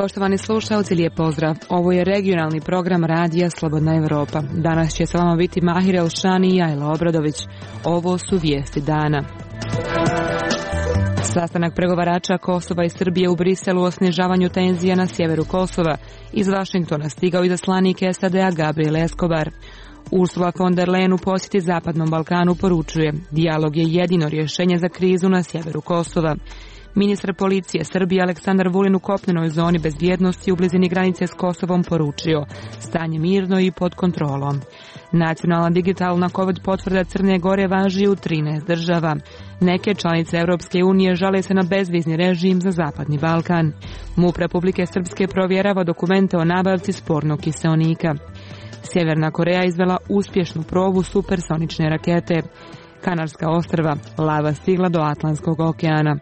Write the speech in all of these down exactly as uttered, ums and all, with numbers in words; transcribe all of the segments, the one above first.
Poštovani slušalci, lijep pozdrav. Ovo je regionalni program Radija Slobodna Evropa. Danas će sa vama biti Mahir Elšani i Ajla Obradović. Ovo su vijesti dana. Sastanak pregovarača Kosova i Srbije u Briselu o snižavanju tenzija na sjeveru Kosova. Iz Vašingtona stigao izaslanik S A D-a Gabriel Escobar. Ursula von der Leyen u posjeti Zapadnom Balkanu poručuje: dijalog je jedino rješenje za krizu na sjeveru Kosova. Ministar policije Srbije Aleksandar Vulin u kopnenoj zoni bezbjednosti u blizini granice s Kosovom poručio: stanje mirno i pod kontrolom. Nacionalna digitalna COVID potvrda Crne Gore važi u trinaest država. Neke članice Europske unije žale se na bezvizni režim za Zapadni Balkan. MUP Republike Srpske provjerava dokumente o nabavci spornog kiseonika. Sjeverna Koreja izvela uspješnu probu supersonične rakete. Kanarska ostrva, lava stigla do Atlantskog okeana.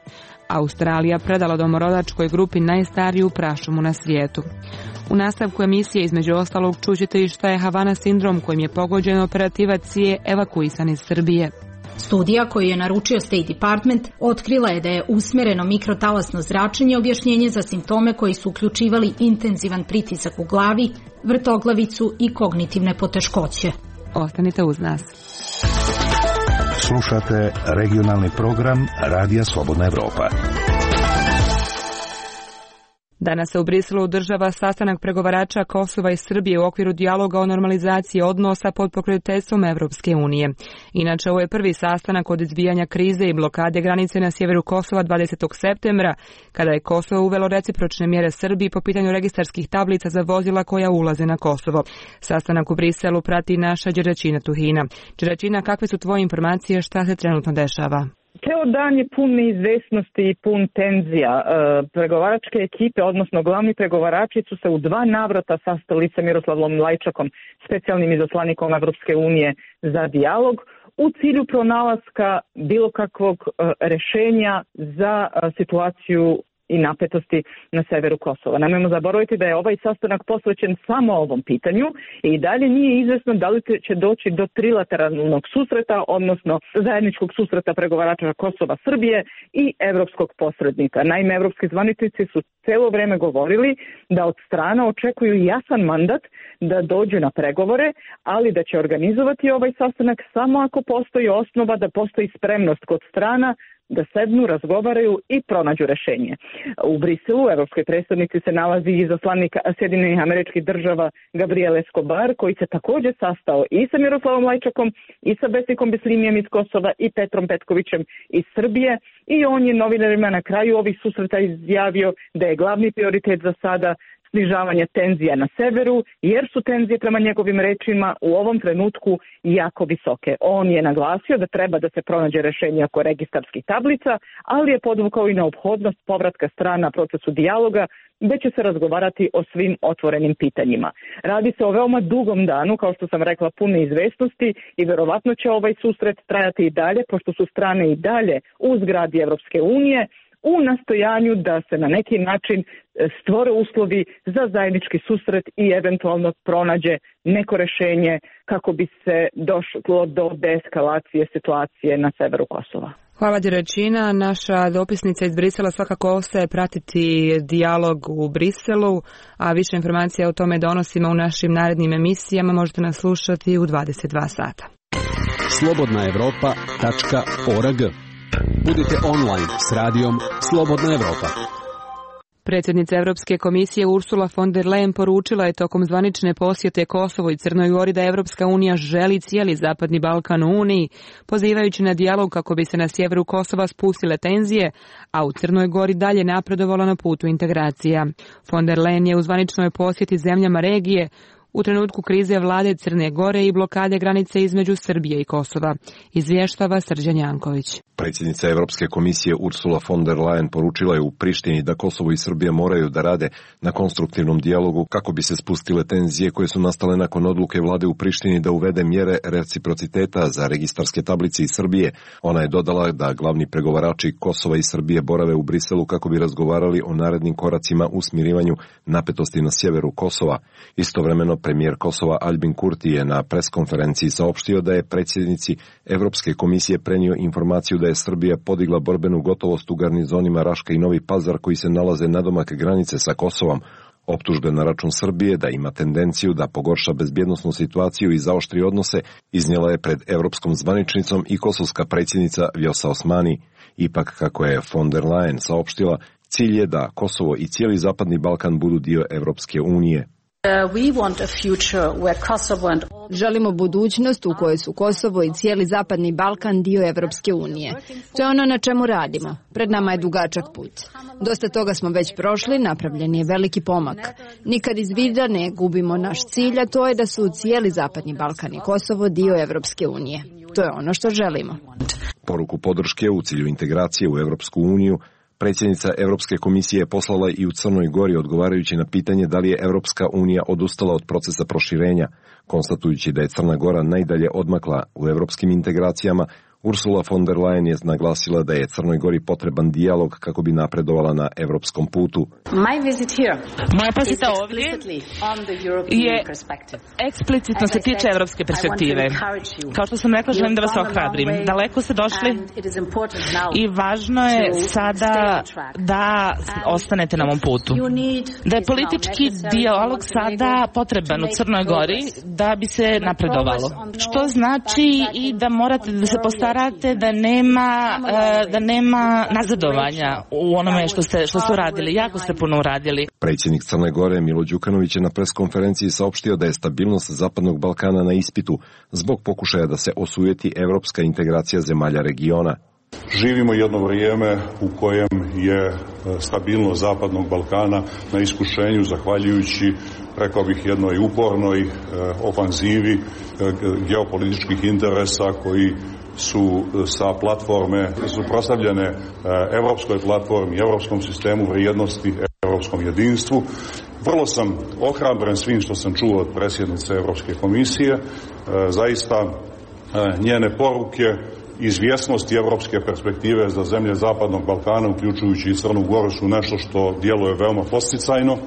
Australija predala domorodačkoj grupi najstariju prašumu na svijetu. U nastavku emisije između ostalog čućete i šta je Havana sindrom kojim je pogođen operativac C I A evakuisan iz Srbije. Studija koju je naručio State Department otkrila je da je usmjereno mikrotalasno zračenje objašnjenje za simptome koji su uključivali intenzivan pritisak u glavi, vrtoglavicu i kognitivne poteškoće. Ostanite uz nas. Slušate regionalni program Radija Slobodna Evropa. Danas se u Briselu održava sastanak pregovarača Kosova i Srbije u okviru dijaloga o normalizaciji odnosa pod pokroviteljstvom Evropske unije. Inače, ovo je prvi sastanak od izbijanja krize i blokade granice na sjeveru Kosova dvadesetog septembra, kada je Kosovo uvelo recipročne mjere Srbiji po pitanju registarskih tablica za vozila koja ulaze na Kosovo. Sastanak u Briselu prati naša Đeračina Tuhina. Đeračina, kakve su tvoje informacije, šta se trenutno dešava? Ceo dan je pun neizvesnosti i pun tenzija. E, pregovaračke ekipe, odnosno glavni pregovarači su se u dva navrata sastali sa Miroslavom Lajčakom, specijalnim izaslanikom Evropske unije za dijalog, u cilju pronalaska bilo kakvog e, rešenja za e, situaciju i napetosti na severu Kosova. Nemojmo zaboraviti da je ovaj sastanak posvećen samo ovom pitanju i dalje nije izvesno da li će doći do trilateralnog susreta, odnosno zajedničkog susreta pregovarača Kosova, Srbije i evropskog posrednika. Naime, evropski zvaničnici su celo vreme govorili da od strana očekuju jasan mandat da dođu na pregovore, ali da će organizovati ovaj sastanak samo ako postoji osnova da postoji spremnost kod strana da sednu, razgovaraju i pronađu rešenje. U Briselu, u evropskoj predstavnici, se nalazi izaslanik Sjedinjenih Američkih Država Gabriel Escobar, koji se također sastao i sa Miroslavom Lajčakom i sa Besikom Bislimijem iz Kosova i Petrom Petkovićem iz Srbije, i on je novinarima na kraju ovih susreta izjavio da je glavni prioritet za sada snižavanje tenzija na severu, jer su tenzije prema njegovim rečima u ovom trenutku jako visoke. On je naglasio da treba da se pronađe rešenje oko registarskih tablica, ali je podvukao i neophodnost povratka strana procesu dijaloga, gde će se razgovarati o svim otvorenim pitanjima. Radi se o veoma dugom danu, kao što sam rekla, pune izvesnosti, i verovatno će ovaj susret trajati i dalje, pošto su strane i dalje u zgradi Evropske unije, u nastojanju da se na neki način stvore uslovi za zajednički susret i eventualno pronađe neko rešenje kako bi se došlo do deeskalacije situacije na severu Kosova. Hvala Đeračina. Naša dopisnica iz Brisela svakako ostaje pratiti dijalog u Briselu, a više informacija o tome donosimo u našim narednim emisijama. Možete nas slušati u dvadeset dva sata. slobodna evropa tačka org. Budite online s radijom Slobodna Evropa. Predsjednica Europske komisije Ursula von der Leyen poručila je tokom zvanične posjete Kosovo i Crnoj Gori da Evropska unija želi cijeli Zapadni Balkan u Uniji, pozivajući na dijalog kako bi se na sjeveru Kosova spustile tenzije, a u Crnoj Gori dalje napredovalo na putu integracija. Von der Leyen je u zvaničnoj posjeti zemljama regije u trenutku krize vlade Crne Gore i blokade granice između Srbije i Kosova, izvještava Srđan Janković. Predsjednica Europske komisije Ursula von der Leyen poručila je u Prištini da Kosovo i Srbija moraju da rade na konstruktivnom dijalogu kako bi se spustile tenzije koje su nastale nakon odluke vlade u Prištini da uvede mjere reciprociteta za registarske tablice iz Srbije. Ona je dodala da glavni pregovarači Kosova i Srbije borave u Briselu kako bi razgovarali o narednim koracima u smirivanju napetosti na sjeveru Kosova. Istovremeno, Premijer Kosova Albin Kurti je na preskonferenciji saopštio da je predsjednici Evropske komisije prenio informaciju da je Srbija podigla borbenu gotovost u garnizonima Raška i Novi Pazar koji se nalaze nadomak granice sa Kosovom. Optužbe na račun Srbije da ima tendenciju da pogorša bezbjednosnu situaciju i zaoštri odnose iznijela je pred evropskom zvaničnicom i kosovska predsjednica Vjosa Osmani. Ipak, kako je von der Leyen saopštila, cilj je da Kosovo i cijeli Zapadni Balkan budu dio Evropske unije. Želimo budućnost u kojoj su Kosovo i cijeli Zapadni Balkan dio Evropske unije. To je ono na čemu radimo. Pred nama je dugačak put. Dosta toga smo već prošli, napravljen je veliki pomak. Nikad iz vida ne gubimo naš cilj, a to je da su cijeli Zapadni Balkan i Kosovo dio Evropske unije. To je ono što želimo. Poruku podrške u cilju integracije u Evropsku uniju predsjednica Evropske komisije je poslala i u Crnoj Gori odgovarajući na pitanje da li je Evropska unija odustala od procesa proširenja. Konstatujući da je Crna Gora najdalje odmakla u evropskim integracijama, Ursula von der Leyen je naglasila da je Crnoj Gori potreban dijalog kako bi napredovala na evropskom putu. Moja posjeta ovdje je eksplicitno se tiče evropske perspektive. Kao što sam rekla, želim da vas ohrabrim. Daleko ste došli i važno je sada da ostanete na ovom putu. Da je politički dijalog sada potreban u Crnoj Gori da bi se napredovalo. Što znači i da morate da se postarate da nema, da nema nazadovanja u onome što ste, što su radili. Jako ste puno uradili. Predsjednik Crne Gore Milo Đukanović je na preskonferenciji saopštio da je stabilnost Zapadnog Balkana na ispitu zbog pokušaja da se osujeti evropska integracija zemalja regiona. Živimo jedno vrijeme u kojem je stabilnost Zapadnog Balkana na iskušenju zahvaljujući, rekao bih, jednoj upornoj ofanzivi geopolitičkih interesa koji su sa platforme suprotstavljene evropskoj platformi, evropskom sistemu vrijednosti, evropskom jedinstvu. Vrlo sam ohrabren svim što sam čuo od predsjednice Evropske komisije. Zaista njene poruke, izvjesnosti evropske perspektive za zemlje Zapadnog Balkana, uključujući i Crnu Goru, su nešto što djeluje veoma posticajno.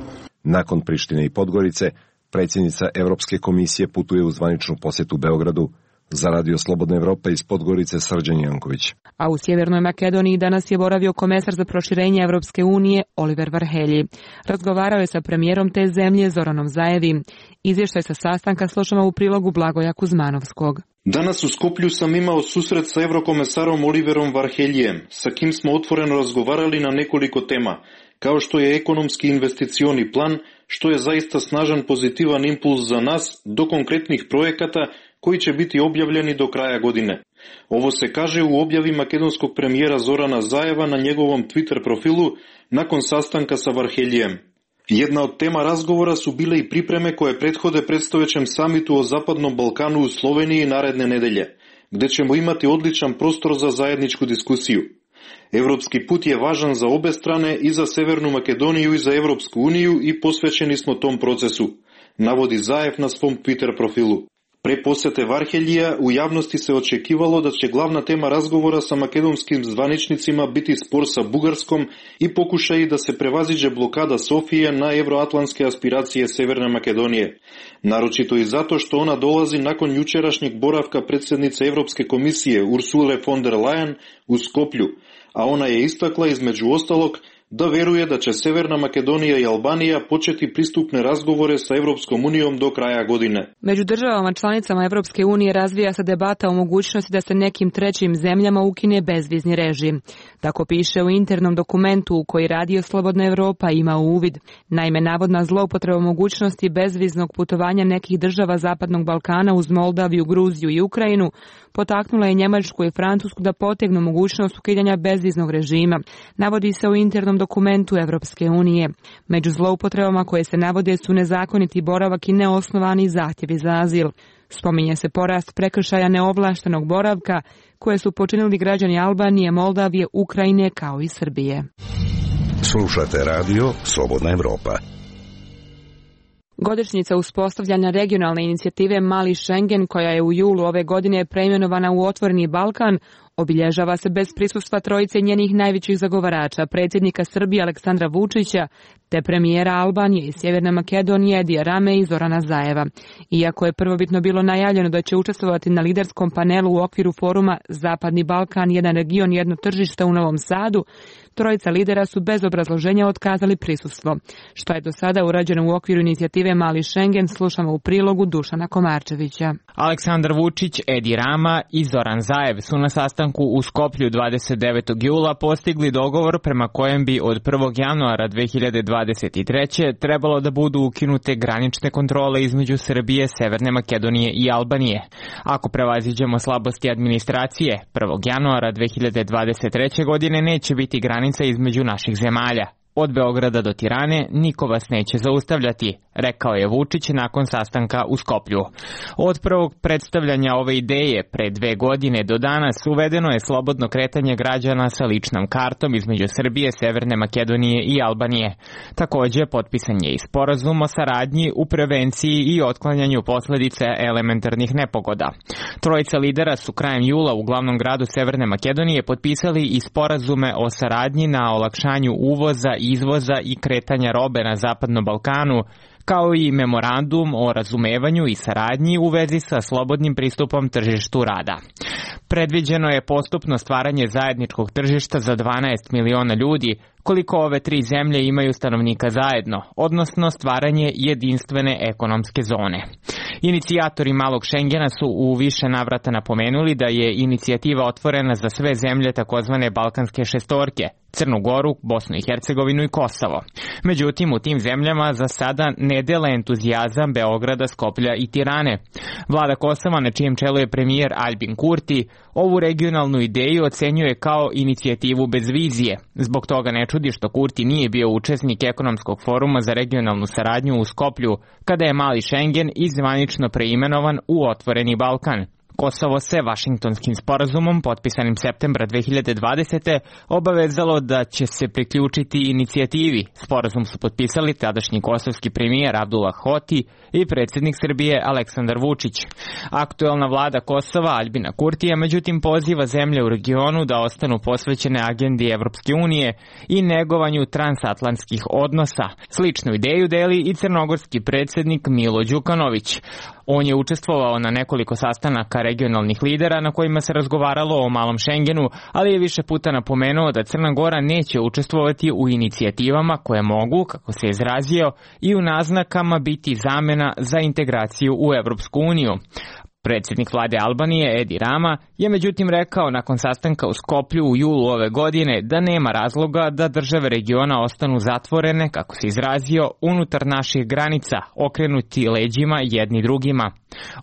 Nakon Prištine i Podgorice, predsjednica Evropske komisije putuje u zvaničnu posjetu Beogradu. Za Radio Slobodna Evropa iz Podgorice Srđan Janković. A u Sjevernoj Makedoniji danas je boravio komesar za proširenje Evropske unije Oliver Varhelji. Razgovarao je sa premijerom te zemlje Zoranom Zaevim. Izvještaj sa sastanka slušamo u prilogu Blagoja Kuzmanovskog. Danas u Skoplju sam imao susret sa eurokomesarom Oliverom Varheljijem, sa kim smo otvoreno razgovarali na nekoliko tema, kao što je ekonomski investicioni plan, što je zaista snažan pozitivan impuls za nas, do konkretnih projekata koji će biti objavljeni do kraja godine. Ovo se kaže u objavi makedonskog premijera Zorana Zaeva na njegovom Twitter profilu nakon sastanka sa Varheljijem. Jedna od tema razgovora su bile i pripreme koje prethode predstojećem samitu o Zapadnom Balkanu u Sloveniji naredne nedelje, gde ćemo imati odličan prostor za zajedničku diskusiju. Evropski put je važan za obe strane, i za Severnu Makedoniju i za Evropsku uniju, i posvećeni smo tom procesu, navodi Zaev na svom Twitter profilu. Pre posjete Varheljija u javnosti se očekivalo da će glavna tema razgovora sa makedonskim zvaničnicima biti spor sa Bugarskom i pokušaji da se prevaziđe blokada Sofije na evroatlantske aspiracije Severne Makedonije. Naročito i zato što ona dolazi nakon jučerašnjeg boravka predsjednice Evropske komisije Ursule von der Leyen u Skoplju, a ona je istakla između ostalog da veruje da će Severna Makedonija i Albanija početi pristupne razgovore sa Evropskom unijom do kraja godine. Među državama članicama Evropske unije razvija se debata o mogućnosti da se nekim trećim zemljama ukine bezvizni režim. Tako piše u internom dokumentu u koji Radio Slobodna Evropa ima uvid. Naime, navodna zloupotreba mogućnosti bezviznog putovanja nekih država Zapadnog Balkana uz Moldaviju, Gruziju i Ukrajinu potaknula je Njemačku i Francusku da potegnu mogućnost ukidanja bezviznog režima, navodi se u internom dokumentu Evropske unije. Među zloupotrebama koje se navode su nezakoniti boravak i neosnovani zahtjevi za azil. Spominje se porast prekršaja neovlaštenog boravka koje su počinili građani Albanije, Moldavije, Ukrajine kao i Srbije. Slušate radio Slobodna Evropa. Godišnjica uspostavljanja regionalne inicijative Mali Schengen, koja je u julu ove godine preimenovana u Otvoreni Balkan, obilježava se bez prisustva trojice njenih najvećih zagovarača, predsjednika Srbije Aleksandra Vučića, te premijera Albanije i Sjeverne Makedonije Edija Rame i Zorana Zajeva. Iako je prvobitno bilo najavljeno da će učestvovati na liderskom panelu u okviru foruma Zapadni Balkan, jedan region, jedno tržište u Novom Sadu, trojica lidera su bez obrazloženja otkazali prisustvo. Što je do sada urađeno u okviru inicijative Mali Schengen, slušamo u prilogu Dušana Komarčevića. Aleksandar Vučić, Edi Rama i Zoran Zajev su na sastanku u Skoplju dvadeset devetog jula postigli dogovor prema kojem bi od prvog januara dve hiljade dvadeset treće trebalo da budu ukinute granične kontrole između Srbije, Severne Makedonije i Albanije. Ako prevaziđemo slabosti administracije, prvog januara dve hiljade dvadeset treće godine neće biti granica između naših zemalja. Od Beograda do Tirane niko vas neće zaustavljati, rekao je Vučić nakon sastanka u Skoplju. Od prvog predstavljanja ove ideje pre dve godine do danas uvedeno je slobodno kretanje građana sa ličnom kartom između Srbije, Severne Makedonije i Albanije. Takođe, potpisan je i sporazum o saradnji u prevenciji i otklanjanju posledica elementarnih nepogoda. Trojica lidera su krajem jula u glavnom gradu Severne Makedonije potpisali i sporazume o saradnji na olakšanju uvoza, izvoza i kretanja robe na Zapadnom Balkanu, kao i memorandum o razumevanju i saradnji u vezi sa slobodnim pristupom tržištu rada. Predviđeno je postupno stvaranje zajedničkog tržišta za dvanaest miliona ljudi, koliko ove tri zemlje imaju stanovnika zajedno, odnosno stvaranje jedinstvene ekonomske zone. Inicijatori Malog Šengena su u više navrata napomenuli da je inicijativa otvorena za sve zemlje takozvane Balkanske šestorke, Crnu Goru, Bosnu i Hercegovinu i Kosovo. Međutim, u tim zemljama za sada ne dele entuzijazam Beograda, Skoplja i Tirane. Vlada Kosova, na čijem čelu je premijer Albin Kurti, ovu regionalnu ideju ocenjuje kao inicijativu bez vizije. Zbog toga ne čudi što Kurti nije bio učesnik ekonomskog foruma za regionalnu saradnju u Skoplju, kada je Mali Schengen izvanično preimenovan u Otvoreni Balkan. Kosovo se Vašingtonskim sporazumom, potpisanim septembra dve hiljade dvadesete. obavezalo da će se priključiti inicijativi. Sporazum su potpisali tadašnji kosovski premijer Abdullah Hoti i predsjednik Srbije Aleksandar Vučić. Aktuelna vlada Kosova Albina Kurtija međutim poziva zemlje u regionu da ostanu posvećene agendi Evropske unije i negovanju transatlantskih odnosa. Sličnu ideju deli i crnogorski predsjednik Milo Đukanović. On je učestvovao na nekoliko sastanaka regionalnih lidera na kojima se razgovaralo o Malom Šengenu, ali je više puta napomenuo da Crna Gora neće učestvovati u inicijativama koje mogu, kako se izrazio, i u naznakama biti zamena za integraciju u Evropsku uniju. Predsjednik vlade Albanije Edi Rama je međutim rekao nakon sastanka u Skoplju u julu ove godine da nema razloga da države regiona ostanu zatvorene, kako se izrazio, unutar naših granica, okrenuti leđima jedni drugima.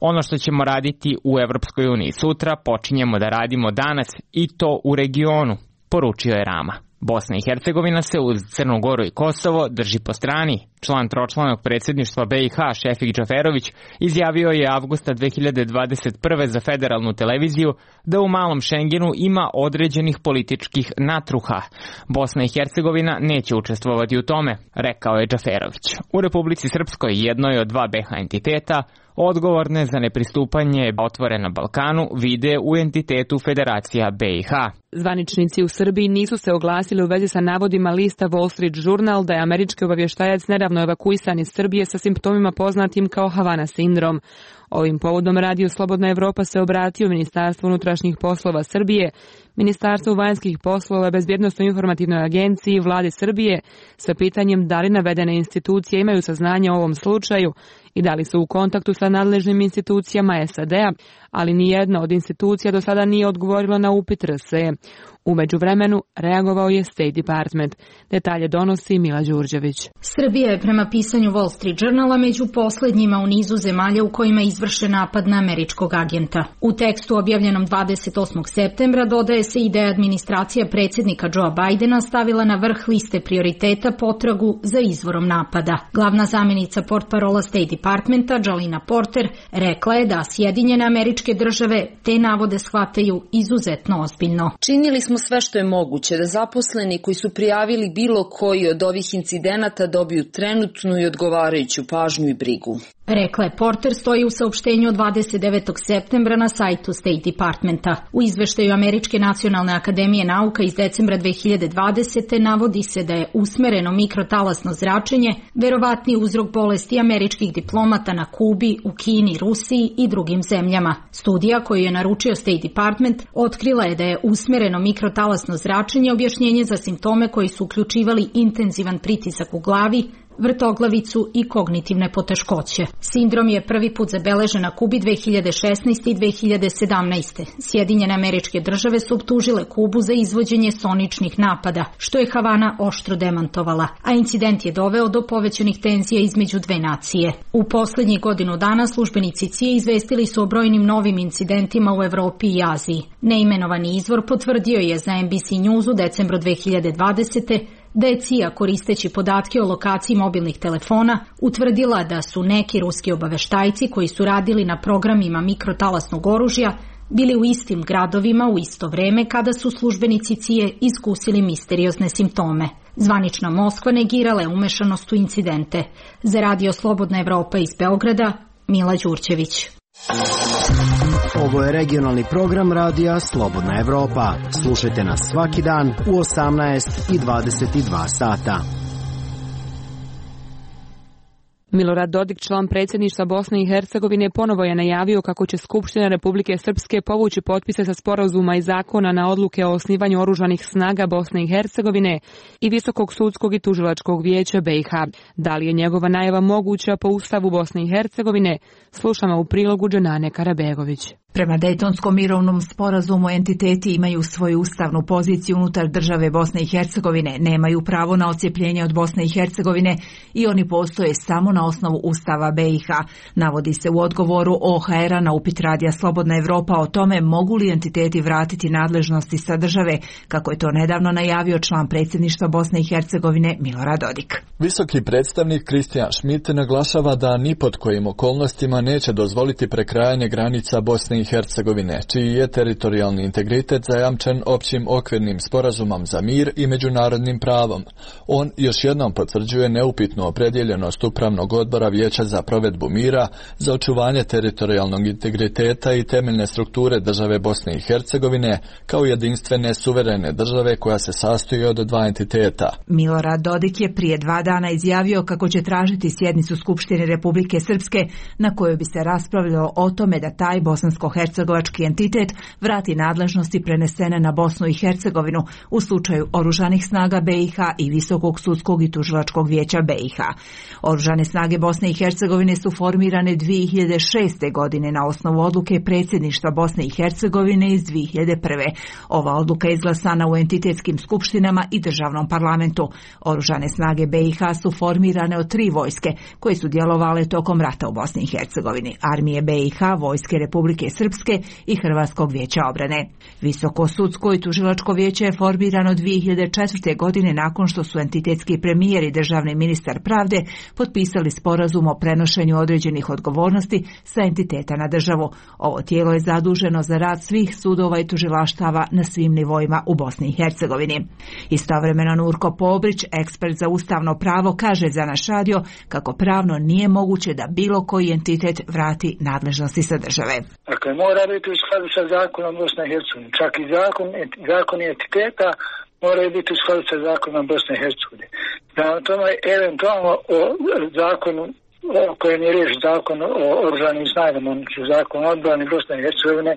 Ono što ćemo raditi u Evropskoj uniji sutra počinjemo da radimo danas i to u regionu, poručio je Rama. Bosna i Hercegovina se uz Crnu Goru i Kosovo drži po strani. Član tročlanog predsjedništva be i ha Šefik Džaferović izjavio je avgusta dve hiljade dvadeset prve za federalnu televiziju da u Malom Šengenu ima određenih političkih natruha. Bosna i Hercegovina neće učestvovati u tome, rekao je Džaferović. U Republici Srpskoj, jednoj od dva be ha entiteta, odgovorne za nepristupanje Otvorenom Balkanu vide u entitetu Federacija be i ha. Zvaničnici u Srbiji nisu se oglasili u vezi sa navodima lista Wall Street Journal da je američki obavještajac nedavno evakuisan iz Srbije sa simptomima poznatim kao Havana sindrom. Ovim povodom Radio Slobodna Evropa se obratio Ministarstvu unutrašnjih poslova Srbije, Ministarstvu vanjskih poslova, Bezbjednosnoj informativnoj agenciji Vlade Srbije sa pitanjem da li navedene institucije imaju saznanja o ovom slučaju i da li su u kontaktu sa nadležnim institucijama es a de a, ali nijedna od institucija do sada nije odgovorila na upit er es e. U međuvremenu reagovao je State Department. Detalje donosi Mila Đurđević. Srbija je prema pisanju Wall Street Journala među poslednjima u nizu zemalja u kojima je izvršen napad na američkog agenta. U tekstu objavljenom dvadeset osmog septembra dodaje se i da je administracija predsjednika Joea Bidena stavila na vrh liste prioriteta potragu za izvorom napada. Glavna zamjenica portparola State Departmenta Jalina Porter rekla je da Sjedinjene Američke Države te navode shvataju izuzetno ozbiljno. Činili smo sve što je moguće da zaposleni koji su prijavili bilo koji od ovih incidenata dobiju trenutnu i odgovarajuću pažnju i brigu. Rekla je Porter, stoji u saopštenju saopštenju od dvadeset devetog septembra na sajtu State Departmenta. U izveštaju Američke nacionalne akademije nauka iz decembra dve hiljade dvadesete. navodi se da je usmereno mikrotalasno zračenje verovatni uzrok bolesti američkih diplomata na Kubi, u Kini, Rusiji i drugim zemljama. Studija koju je naručio State Department otkrila je da je usmereno mikrotalasno zračenje objašnjenje za simptome koji su uključivali intenzivan pritisak u glavi, vrtoglavicu i kognitivne poteškoće. Sindrom je prvi put zabeležen na Kubi dve hiljade šesnaeste. i dve hiljade sedamnaeste. Sjedinjene Američke Države su optužile Kubu za izvođenje soničnih napada, što je Havana oštro demantovala, a incident je doveo do povećanih tenzija između dve nacije. U poslednjih godinu dana službenici C I A izvestili su o brojnim novim incidentima u Evropi i Aziji. Neimenovani izvor potvrdio je za N B C News u decembru dve hiljade dvadesete. da je C I A koristeći podatke o lokaciji mobilnih telefona utvrdila da su neki ruski obaveštajci koji su radili na programima mikrotalasnog oružja bili u istim gradovima u isto vreme kada su službenici C I A iskusili misteriozne simptome. Zvanična Moskva negirala je umešanost u incidente. Za Radio Slobodna Evropa iz Beograda, Mila Đurđević. Ovo je regionalni program Radija Slobodna Evropa. Slušajte nas svaki dan u osamnaest i dvadeset dva sata. Milorad Dodik, član predsjedništva Bosne i Hercegovine, ponovo je najavio kako će Skupština Republike Srpske povući potpise sa sporazuma i zakona na odluke o osnivanju oružanih snaga Bosne i Hercegovine i Visokog sudskog i tužilačkog vijeća B i H. Da li je njegova najava moguća po Ustavu Bosne i Hercegovine? Slušamo u prilogu Dženane Karabegović. Prema Dejtonskom mirovnom sporazumu entiteti imaju svoju ustavnu poziciju unutar države Bosne i Hercegovine, nemaju pravo na odcjepljenje od Bosne i Hercegovine i oni postoje samo na osnovu Ustava B i H. Navodi se u odgovoru O H R-a na upit Radija Slobodna Evropa o tome mogu li entiteti vratiti nadležnosti sa države, kako je to nedavno najavio član predsjedništva Bosne i Hercegovine Milorad Dodik. Visoki predstavnik Kristijan Schmidt naglašava da ni pod kojim okolnostima neće dozvoliti prekrajanje granica Bosne i Hercegovine, čiji je teritorijalni integritet zajamčen općim okvirnim sporazumom za mir i međunarodnim pravom. On još jednom potvrđuje neupitnu opredjeljenost Upravnog odbora Vijeća za provedbu mira, za očuvanje teritorijalnog integriteta i temeljne strukture države Bosne i Hercegovine kao jedinstvene suverene države koja se sastoji od dva entiteta. Milorad Dodik je prije dva dana izjavio kako će tražiti sjednicu Skupštine Republike Srpske na kojoj bi se raspravljalo o tome da taj bosansko-hercegovački entitet vrati nadležnosti prenesene na Bosnu i Hercegovinu u slučaju oružanih snaga B i H i Visokog sudskog i tužilačkog vijeća B i H. Oružane snage Bosne i Hercegovine su formirane dvije hiljade šeste. godine na osnovu odluke predsjedništva Bosne i Hercegovine iz dvije hiljade prve. Ova odluka je izglasana u entitetskim skupštinama i državnom parlamentu. Oružane snage B i H su formirane od tri vojske koje su djelovale tokom rata u Bosni i Hercegovini: armije B i H, vojske Republike Srpske i Hrvatskog vijeća obrane. Visoko sudsko i tužilačko vijeće je formirano dvije hiljade četvrte. godine nakon što su entitetski premijer i državni ministar pravde potpisali sporazum o prenošenju određenih odgovornosti sa entiteta na državu. Ovo tijelo je zaduženo za rad svih sudova i tužilaštava na svim nivoima u Bosni i Hercegovini. Istovremeno Nurko Pobrić, ekspert za ustavno pravo, kaže za naš radio kako pravno nije moguće da bilo koji entitet vrati nadležnosti sa države. Dakle, mora biti u skladu sa zakonom Bosne i Hercegovine. Čak i zakon, zakon entiteta moraju biti u skladu sa zakonom Bosne i Hercegovine. Prema tome, eventualno o zakonu o kojem je riječ, zakon o oružanim snagama, zakon o odbrani Bosne i Hercegovine,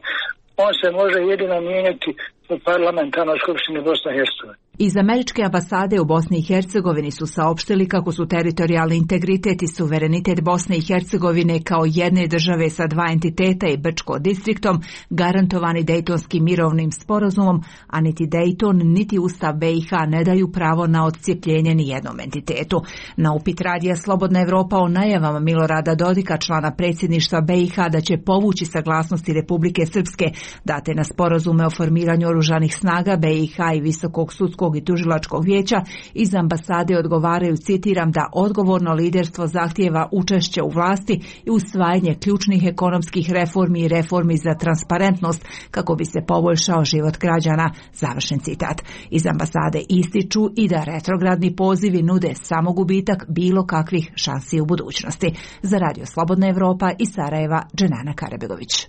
on se može jedino mijenjati u parlamentarnoj skupštini Bosne i Hercegovine. Iz američke ambasade u Bosni i Hercegovini su saopštili kako su teritorijalni integritet i suverenitet Bosne i Hercegovine kao jedne države sa dva entiteta i Brčko distriktom garantovani Dejtonskim mirovnim sporazumom, a niti Dejton niti Ustav B i H ne daju pravo na odcijepljenje ni jednom entitetu. Na upit Radija Slobodna Evropa o najavama Milorada Dodika, člana predsjedništva B i H, da će povući saglasnosti Republike Srpske date na sporazume o formiranju oružanih snaga B i H i Visokog sudskog sudskog i tužilačkog vijeća iz ambasade odgovaraju, citiram, da odgovorno liderstvo zahtijeva učešće u vlasti i usvajanje ključnih ekonomskih reformi i reformi za transparentnost kako bi se poboljšao život građana, završen citat. Iz ambasade ističu i da retrogradni pozivi nude samo gubitak bilo kakvih šansi u budućnosti. Za Radio Slobodna Evropa iz Sarajeva, Dženana Karabegović.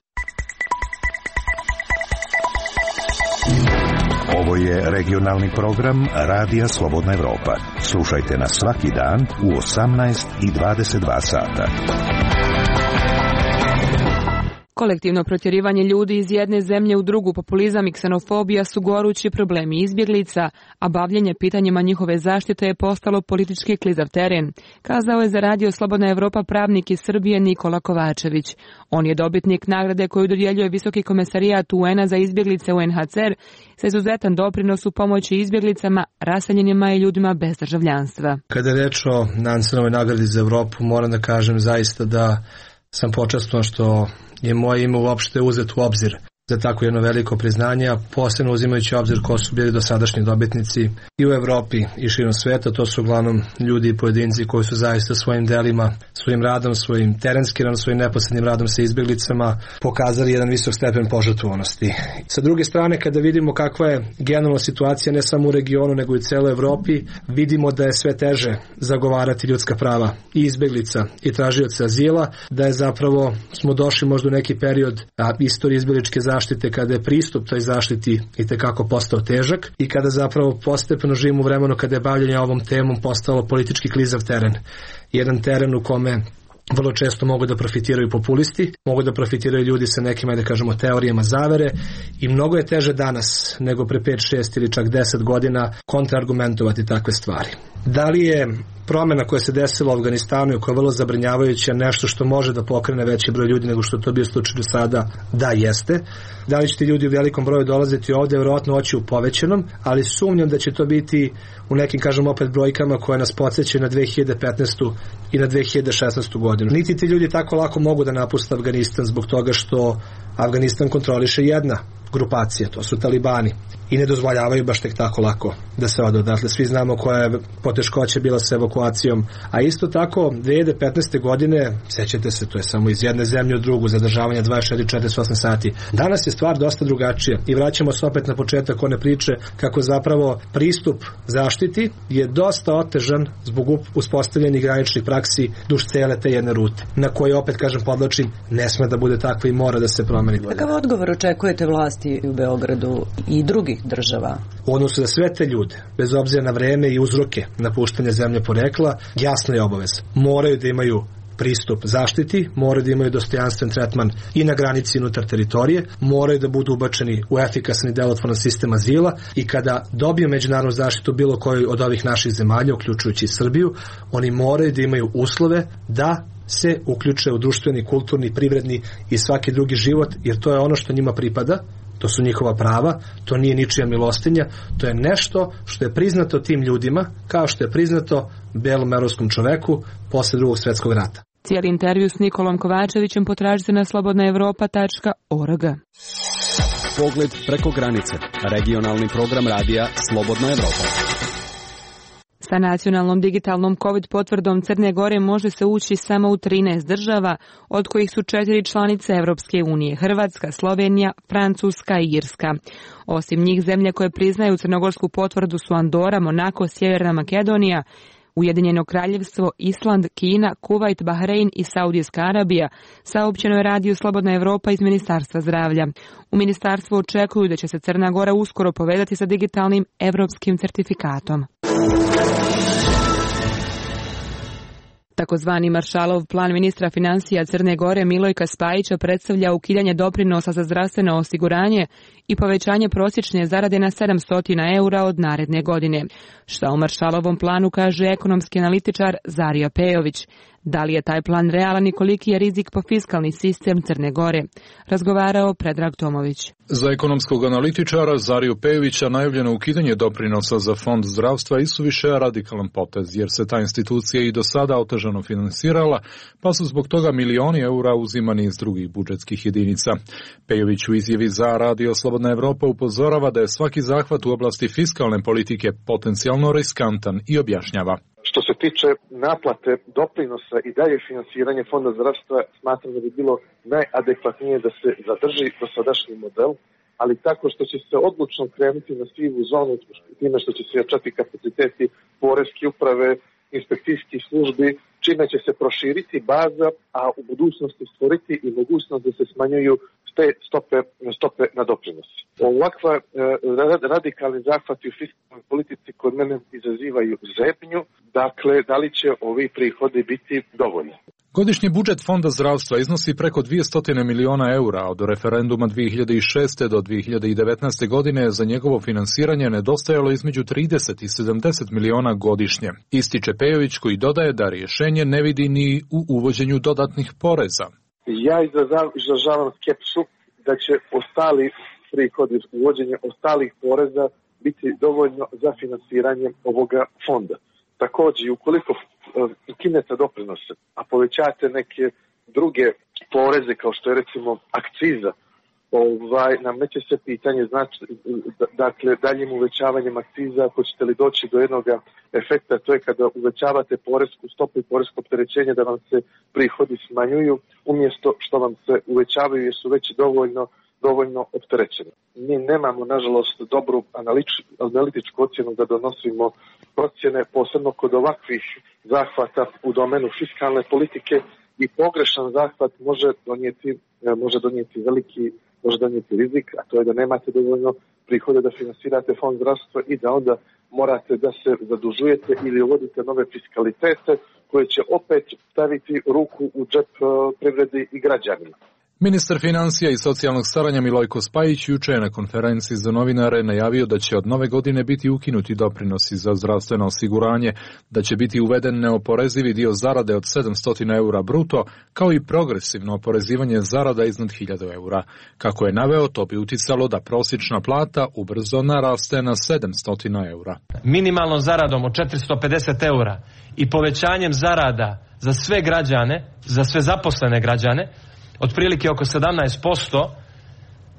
Ovo je regionalni program Radija Slobodna Evropa. Slušajte nas svaki dan u osamnaest i dvadeset dva sata. Kolektivno protjerivanje ljudi iz jedne zemlje u drugu, populizam i ksenofobija su gorući problemi izbjeglica, a bavljenje pitanjima njihove zaštite je postalo politički klizav teren, kazao je za Radio Slobodna Evropa pravnik iz Srbije Nikola Kovačević. On je dobitnik nagrade koju dodjeljuje Visoki komesarijat U N-a za izbjeglice U N H C R sa izuzetan doprinos u pomoći izbjeglicama, raseljenima i ljudima bez državljanstva. Kada je reč o Nansenovoj nagradi za Evropu, moram da kažem zaista da sam počastvovan što je moje ime uopšte uzet u obzir za tako jedno veliko priznanje, a posebno uzimajući obzir ko su bili dosadašnji dobitnici i u Evropi i širom sveta. To su uglavnom ljudi i pojedinci koji su zaista svojim delima, svojim radom, svojim terenskim radom, svojim neposrednim radom sa izbjeglicama pokazali jedan visok stepen požrtvovanosti. Sa druge strane, kada vidimo kakva je generalna situacija ne samo u regionu nego i u celoj Evropi, vidimo da je sve teže zagovarati ljudska prava i izbjeglica i tražioca azila, da je zapravo smo došli možda u neki period a, istorije izbjegličke zaštite zaštite kada je pristup toj zaštiti itekako postao težak i kada zapravo postepeno živimo u vremenu kada je bavljanje ovom temom postalo politički klizav teren. Jedan teren u kome vrlo često mogu da profitiraju populisti, mogu da profitiraju ljudi sa nekim, da kažemo, teorijama zavere i mnogo je teže danas nego pre pet, šest ili čak deset godina kontraargumentovati takve stvari. Da li je promjena koja se desila u Afganistanu i koja je vrlo zabrinjavajuća nešto što može da pokrene veći broj ljudi nego što to bio slučaj do sada? Da, jeste. Da li će ti ljudi u velikom broju dolaziti ovdje? Vjerojatno oći u povećanom, ali sumnjam da će to biti u nekim, kažem opet, brojkama koje nas podsjećaju na dve hiljade petnaestu i na dve hiljade šesnaestu godinu. Niti ti ljudi tako lako mogu da napuste Afganistan zbog toga što Afganistan kontroliše jedna grupacija, to su talibani. I ne dozvoljavaju baš tek tako lako da se ode odatle. Svi znamo koja je poteškoća bila sa evakuacijom. A isto tako, dve hiljade petnaeste godine, sećate se, to je samo iz jedne zemlje u drugu, zadržavanje dvadeset četiri do četrdeset osam sati. Danas je stvar dosta drugačija i vraćamo se opet na početak one priče kako zapravo pristup zaštiti je dosta otežan zbog uspostavljenih graničnih praksi duž cele te jedne rute, na koje, opet kažem, podlačim, ne sme da bude takva i mora da se promeni. Kakav odgovor očekujete vlasti u Beogradu i drugih država? U odnosu za sve te ljude, bez obzira na vreme i uzroke napuštanja zemlje porekla, jasno je obaveza. Moraju da imaju pristup zaštiti, moraju da imaju dostojanstven tretman i na granici i unutar teritorije, moraju da budu ubačeni u efikasan i delotvoran sistem azila i kada dobiju međunarodnu zaštitu bilo koju od ovih naših zemalja, uključujući Srbiju, oni moraju da imaju uslove da se uključe u društveni, kulturni, privredni i svaki drugi život, jer to je ono što njima pripada. To su njihova prava, to nije ničija milostinja, to je nešto što je priznato tim ljudima, kao što je priznato belom evropskom čoveku posle drugog svjetskog rata. Cijeli intervju s Nikolom Kovačevićem potražite na slobodna evropa tačka org. Pogled preko granice. Regionalni program radija Slobodna Evropa. Sa nacionalnom digitalnom COVID potvrdom Crne Gore može se ući samo u trinaest država, od kojih su četiri članice Evropske unije, Hrvatska, Slovenija, Francuska i Irska. Osim njih, zemlje koje priznaju crnogorsku potvrdu su Andora, Monako, Sjeverna Makedonija, Ujedinjeno kraljevstvo, Island, Kina, Kuvajt, Bahrein i Saudijska Arabija, saopćeno je Radio Slobodna Evropa iz Ministarstva zdravlja. U ministarstvu očekuju da će se Crna Gora uskoro povezati sa digitalnim evropskim certifikatom. Takozvani Maršalov plan ministra financija Crne Gore Milojka Spajića predstavlja ukidanje doprinosa za zdravstveno osiguranje i povećanje prosječne zarade na sedamsto eura od naredne godine. Šta o Maršalovom planu kaže ekonomski analitičar Zarija Pejović. Da li je taj plan realan i koliki je rizik po fiskalni sistem Crne Gore? Razgovarao Predrag Tomović. Za ekonomskog analitičara Zariju Pejovića najavljeno ukidanje doprinosa za fond zdravstva isuviše radikalan potez, jer se ta institucija i do sada otežano finansirala, pa su zbog toga milioni eura uzimani iz drugih budžetskih jedinica. Pejović u izjavi za Radio Slobodna Evropa upozorava da je svaki zahvat u oblasti fiskalne politike potencijalno riskantan i objašnjava. Što se tiče naplate doprinosa i dalje finansiranje fonda zdravstva, smatram da bi bilo najadekvatnije da se zadrži dosadašnji model, ali tako što će se odlučno krenuti na sivu zonu, time što će se jačati kapaciteti poreske uprave, inspekcijskih službi, čime će se proširiti baza, a u budućnosti stvoriti i mogućnost da se smanjuju te stope, stope na doprinos. Ovakva e, radikalni zahvati u fiskalnoj politici kod mene izazivaju zebnju, dakle, da li će ovi prihodi biti dovoljni? Godišnji budžet Fonda zdravstva iznosi preko dvjesto miliona eura, a od referenduma dvije hiljade šeste. do dvije hiljade devetnaeste. godine za njegovo finansiranje nedostajalo između trideset i sedamdeset miliona godišnje. Ističe Pejović, koji dodaje da rješenje ne vidi ni u uvođenju dodatnih poreza. Ja izražavam skepsu da će ostali prihodi, uvođenje ostalih poreza biti dovoljno za finansiranje ovoga fonda. Također, ukoliko ukinete doprinose, a povećate neke druge poreze kao što je recimo akciza, ovaj, nameće se pitanje, znači, dakle, daljim uvećavanjem akciza, hoćete li doći do jednog efekta, to je kada uvećavate poresku stopu i poresko opterećenje da vam se prihodi smanjuju, umjesto što vam se uvećavaju jer su već dovoljno dovoljno opterećeni. Mi nemamo, nažalost, dobru analitičku ocjenu da donosimo procjene, posebno kod ovakvih zahvata u domenu fiskalne politike, i pogrešan zahvat može donijeti, može donijeti veliki, može donijeti rizik, a to je da nemate dovoljno prihode da finansirate fond zdravstva i da onda morate da se zadužujete ili uvodite nove fiskalitete koje će opet staviti ruku u džep privredi i građanima. Ministar financija i socijalnog staranja Milojko Spajić juče je na konferenciji za novinare najavio da će od nove godine biti ukinuti doprinosi za zdravstveno osiguranje, da će biti uveden neoporezivi dio zarade od sedamsto eura bruto, kao i progresivno oporezivanje zarada iznad hiljadu eura. Kako je naveo, to bi uticalo da prosječna plata ubrzo naraste na sedamsto eura. Minimalnom zaradom od četiristo pedeset eura i povećanjem zarada za sve građane, za sve zaposlene građane, otprilike oko sedamnaest posto,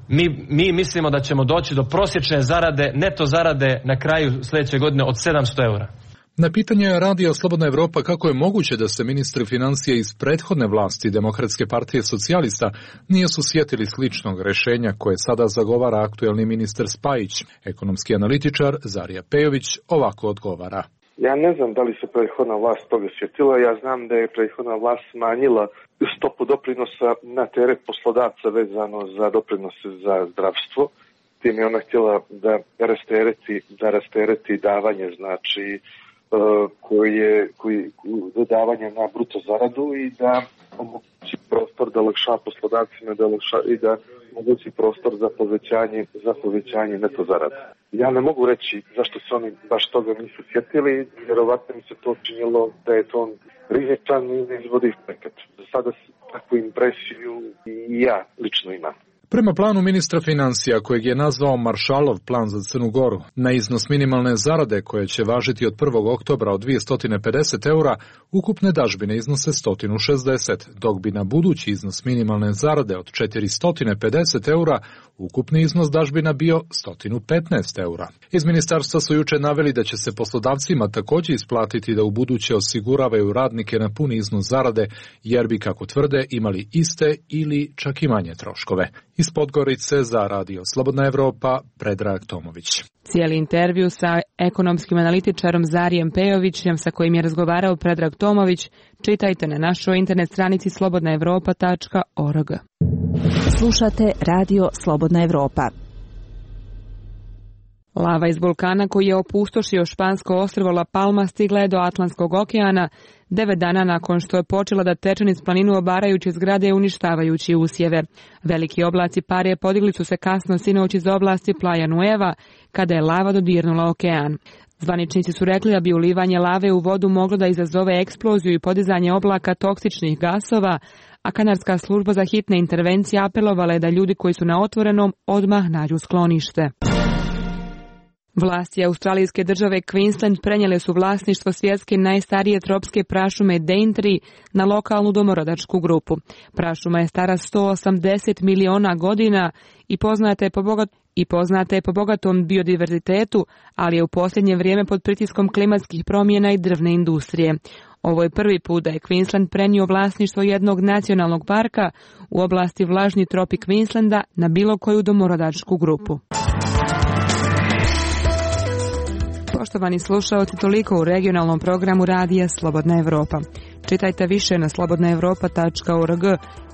mi, mi mislimo da ćemo doći do prosječne zarade, neto zarade na kraju sljedeće godine od sedamsto eura. Na pitanje Radio Slobodna Evropa kako je moguće da se ministri financije iz prethodne vlasti Demokratske partije socijalista nije su sjetili sličnog rješenja koje sada zagovara aktuelni ministar Spajić, ekonomski analitičar Zarija Pejović ovako odgovara. Ja ne znam da li se prethodna vlast toga sjetila, ja znam da je prethodna vlast smanjila stopu doprinosa na teret poslodavca vezano za doprinose za zdravstvo. Tim je ona htjela da rastereti, da rastereti davanje, znači koje, koji, davanje na bruto zaradu i da omogući prostor da olakša poslodavcima da olakša, i da omogući prostor za povećanje, za povećanje neto zarade. Ja ne mogu reći zašto se oni baš toga nisu sjetili, vjerovatno mi se to činilo da je to rizičan i neizvodiv projekat. Za sada takvu impresiju i ja lično imam. Prema planu ministra financija, kojeg je nazvao Maršalov plan za Crnu Goru, na iznos minimalne zarade koje će važiti od prvog oktobra od dvjesto pedeset eura, ukupne dažbine iznose sto šezdeset, dok bi na budući iznos minimalne zarade od četiristo pedeset eura ukupni iznos dažbina bio sto petnaest eura. Iz ministarstva su juče naveli da će se poslodavcima također isplatiti da u buduće osiguravaju radnike na puni iznos zarade, jer bi, kako tvrde, imali iste ili čak i manje troškove. Iz Podgorice za Radio Slobodna Evropa, Predrag Tomović. Cijeli intervju sa ekonomskim analitičarom Zarijem Pejovićem, sa kojim je razgovarao Predrag Tomović, čitajte na našoj internet stranici slobodna evropa tačka org. Slušate Radio Slobodna Evropa. Lava iz vulkana koji je opustošio špansko ostrvo La Palma stigla je do Atlantskog okeana devet dana nakon što je počela da teče niz planinu obarajući zgrade i uništavajući usjeve. Veliki oblaci pare podigli su se kasno sinoć iz oblasti Playa Nueva kada je lava dodirnula okean. Zvaničnici su rekli da bi ulivanje lave u vodu moglo da izazove eksploziju i podizanje oblaka toksičnih gasova, a kanadska služba za hitne intervencije apelovala je da ljudi koji su na otvorenom odmah nađu sklonište. Vlasti australijske države Queensland prenijele su vlasništvo svjetske najstarije tropske prašume Daintree na lokalnu domorodačku grupu. Prašuma je stara sto osamdeset miliona godina i poznata je po bogat i poznata je po bogatom biodiverzitetu, ali je u posljednje vrijeme pod pritiskom klimatskih promjena i drvne industrije. Ovo je prvi put da je Queensland prenio vlasništvo jednog nacionalnog parka u oblasti vlažni tropik Queenslanda na bilo koju domorodačku grupu. Poštovani slušaoci, toliko u regionalnom programu Radija Slobodna Evropa. Čitajte više na slobodna evropa tačka org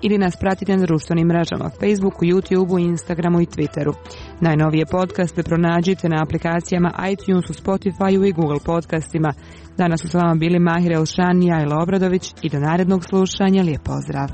ili nas pratite na društvenim mrežama Facebooku, YouTubeu, Instagramu i Twitteru. Najnovije podcaste pronađite na aplikacijama iTunesu, Spotifyu i Google podcastima. Danas su s vama bili Mahir Elšan i Ajla Obradović i do narednog slušanja lijep pozdrav.